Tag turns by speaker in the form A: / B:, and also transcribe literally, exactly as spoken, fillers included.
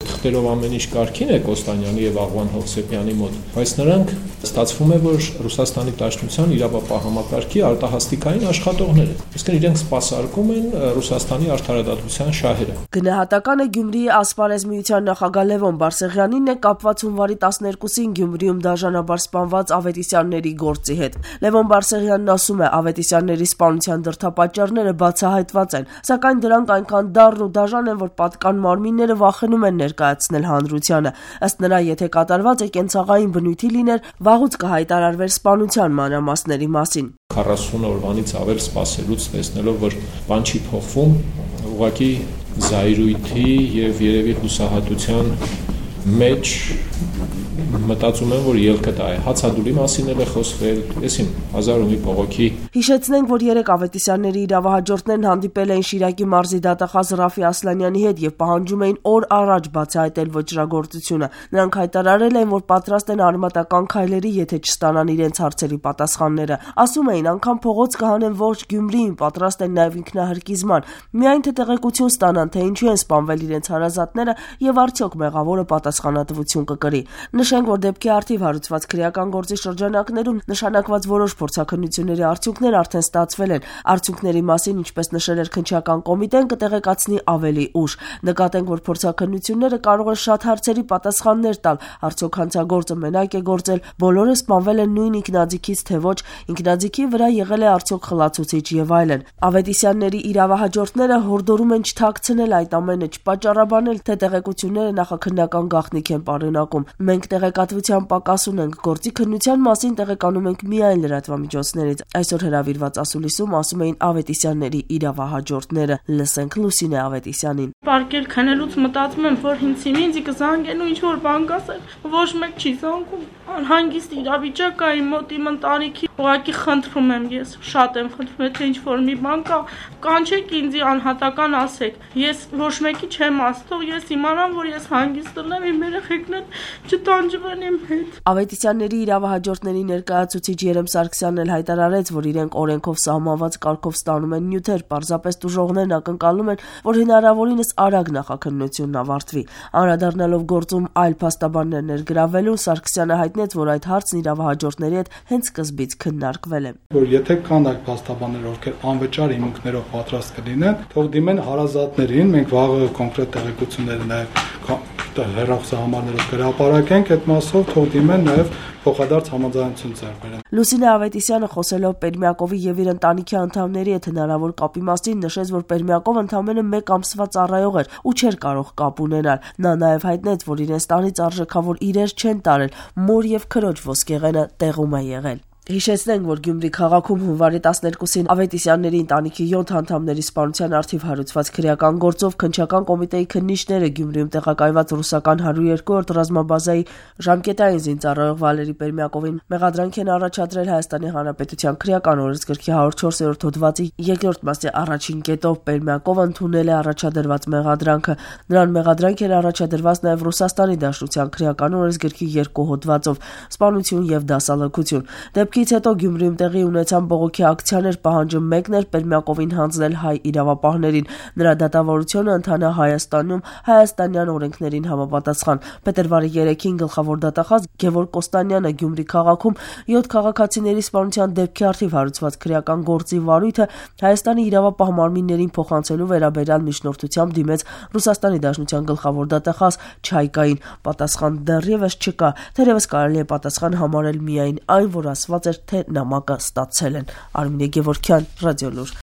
A: թղթերով ամեն ինչ կարգին է Կոստանյանի եւ Աղվան Հովսեփյանի մոտ, բայց նրանք ստացվում է, որ Ռուսաստանի Դաշնության իրավապահ համակարգի արտահասթիկային աշխատողներ են։ Իսկ իրենք սպասարկում են Ռուսաստանի արդարադատության շահերը։
B: Գնահատականը Գյումրիի ասպարեզ միության նախագահ Լևոն Բարսեղյանինն է կապված հունվարի տասներկուսին Գյումրիում դաժանաբար սպանված Ավետիսյանների գործի հետ։ Լևոն Բարսեղյանն ասում է, Ավետիսյանների սպանության դրդապատճառները բացահայտված են, սակայն դրանք այնքան դառն ու դաժան են, որ պատկան մարմինները վախենում են ներկայացնել հանրությանը։ Ըստ նրա, եթե կատարված է կենցաղային բնույթի լիներ, վաղուց կհայտարարվեր սպանության մանրամասների մասին։
A: քառասուն օրվանից ավել սպասելուց տեսնելով, որ բան չի փոխվում, ուղղակի զայրույթի եւ երևի հուսահատության մեջ մտածում եմ, որ ելքը դա է։ Հացադուլի մասին էլ է խոսվել, եսիմ հազար ու մի փողոքի։
B: Հիշեցնենք, որ երեք Ավետիսյանների իրավահաջորդներն հանդիպել էին Շիրակի մարզի դատախազ Ռաֆի Ասլանյանի հետ եւ պահանջում էին օր առաջ բացահայտել ոճրագործությունը։ Նրանք հայտարարել են, որ պատրաստ են արմատական քայլերի, եթե չստանան իրենց հարցերի պատասխանները։ Ասում էին, անգամ փողոց կհանեն ողջ Գյումրիին, պատրաստ են նաեւ ինքնահարկիզման։ Միայն թե տեղեկություն ստանան, թե ինչու են սպանվել իրենց հարազատները եւ արդյոք մեղավորը պատասխանատվություն կկրի։ Նշենք, որ դեպքի առթիվ հարուցված քրեական գործի շրջանակներում նշանակված որոշ փորձաքննությունների արդյունքներ արդեն ստացվել են։ Արդյունքների մասին, ինչպես նշել էր քննչական կոմիտեն, կտեղեկացնի ավելի ուշ։ Նկատենք, որ փորձաքննությունները կարող են շատ հարցերի պատասխաններ տալ։ Արդյոք հանցագործը մենակ է գործել, բոլորը սպանվել են նույն ինքնաձիգից, թե ոչ, ինքնաձիգի վրա եղել է արդյոք խլացուցիչ եւ այլն։ Ավետիսյանների իրավահաջորդները հորդորում են չթաքցնել այդ ամենը, չպատճառաբանել, թե տեղեկությունները նախաքննական գաղտնիք են պարունակում։ Մենք տեղեկատվության պակաս ունենք, գործի քննության մասին տեղեկանում ենք միայն լրատվամիջոցներից։ Այսօր հրավիրված ասուլիսում ասում էին Ավետիսյանների իրավահաջորդները։ Լսենք Լուսինե Ավետիսյանին։
C: Պարկել քնելուց մտածում եմ, որ ինձ ինձ կզանգեն ու ինչ որ բան կասեն, ոչ մեկ չի զանգում։ Անհանգիստ իրավիճակ կա իմ մոտ, իմ ընտանիքի, ուղղակի խնդրում եմ ես, շատ եմ խնդրում, եթե ինչ որ մի բան կա, կանչեք ինձ անհատական ասեք։ Ես ոչ մեկի չեմ ասող, ես իմանամ, որ ես հանգիստ եմ, իմ երեխեքն են չտանջվեն իմ հետ։
B: Ավետիսյանների իրավահաջորդների ներկայացուցիչ Երեմ Սարգսյանն էլ հայտարարեց, որ իրենք օրենքով սահմանված կարգով ստանում են նյութեր, պարզապես տուժողներն ակնկալում են, որ հնարավորինս արագ նախաքննությունն ավարտվի։ Անդրադառնալով գործում այլ փաստաբաններ ներգրավելու, Սարգսյանը հայտնեց, որ այդ հարցն իրավահաջորդների հետ հենց սկզբից քննարկվել է։
D: Որ եթե կան այդ փաստաբաններ, ովքեր անվճար հիմունքներով պատրաստ կլինեն, թող դիմեն հարազատներին, մենք վաղը կոնկրետ տեղեկություններ նաև հեռախոսահամարներով կհրապարակենք, այդ մասով թող դիմեն նաև փոխադարձ համաձայնություն ձեռք բերեն։
B: Լուսինե Ավետիսյանը խոսելով Պերմյակովի եւ իր ընտանիքի անդամների հետ հնարավոր կապի մասին նշեց, որ Պերմյակովը ընդամենը մեկ ամսվա ծառայող էր ու չէր կարող կապ ունենալ։ Նա նաև հայտնեց, որ իրենց տանից արժեքավոր իրեր չեն տարել, մոր եւ քրոջ ոսկեղենը տեղում է եղել։ Հիշեցնենք, որ Գյումրի քաղաքում հունվարի տասներկուսին Ավետիսյանների ընտանիքի յոթ անդամների սպանության առթիվ հարուցված քրեական գործով քննչական կոմիտեի քննիչները Գյումրիում տեղակայված ռուսական հարյուր երկրորդ ռազմաբազայի ժամկետային զինծառայող Վալերի Պերմյակովին մեղադրանք են առաջադրել Հայաստանի Հանրապետության քրեական օրենսգրքի հարյուր չորսերորդ հոդվածի երկրորդ մասի առաջին կետով։ Պերմյակովը ընդունել է առաջադրված մեղադրանքը։ Նրան մեղադրանք էր առաջադրված նաև Ռուսաստանի Դաշնության քրեական օրենսգրքի երկու հոդվածով՝ սպանություն եւ դասալքություն։ Դեպքի Ից հետո Գյումրիում տեղի ունեցան բողոքի ակցիաներ, պահանջը մեկն էր Պերմյակովին հանձնել հայ իրավապահներին։ Նրա դատավարությունը ընթանա Հայաստանում հայաստանյան օրենքներին համապատասխան։ Փետրվարի երեքին գլխավոր դատախազ Գևորգ Կոստանյանը Գյումրի քաղաքում յոթ քաղաքացիների սպանության դեպքի առթիվ հարուցված քրեական գործի վարույթը Հայաստանի իրավապահ մարմիններին փոխանցելու վերաբերյալ միջնորդությամբ դիմեց Ռուսաստանի Դաշնության գլխավոր դատախազ Չայկային։ Պատասխան դեռևս չկա, թերևս կարելի է պատասխան համարել միայն այն, որ ասված թե նամակը ստացել են։ Արմինե Գևորգյան, Ռադիոլուր։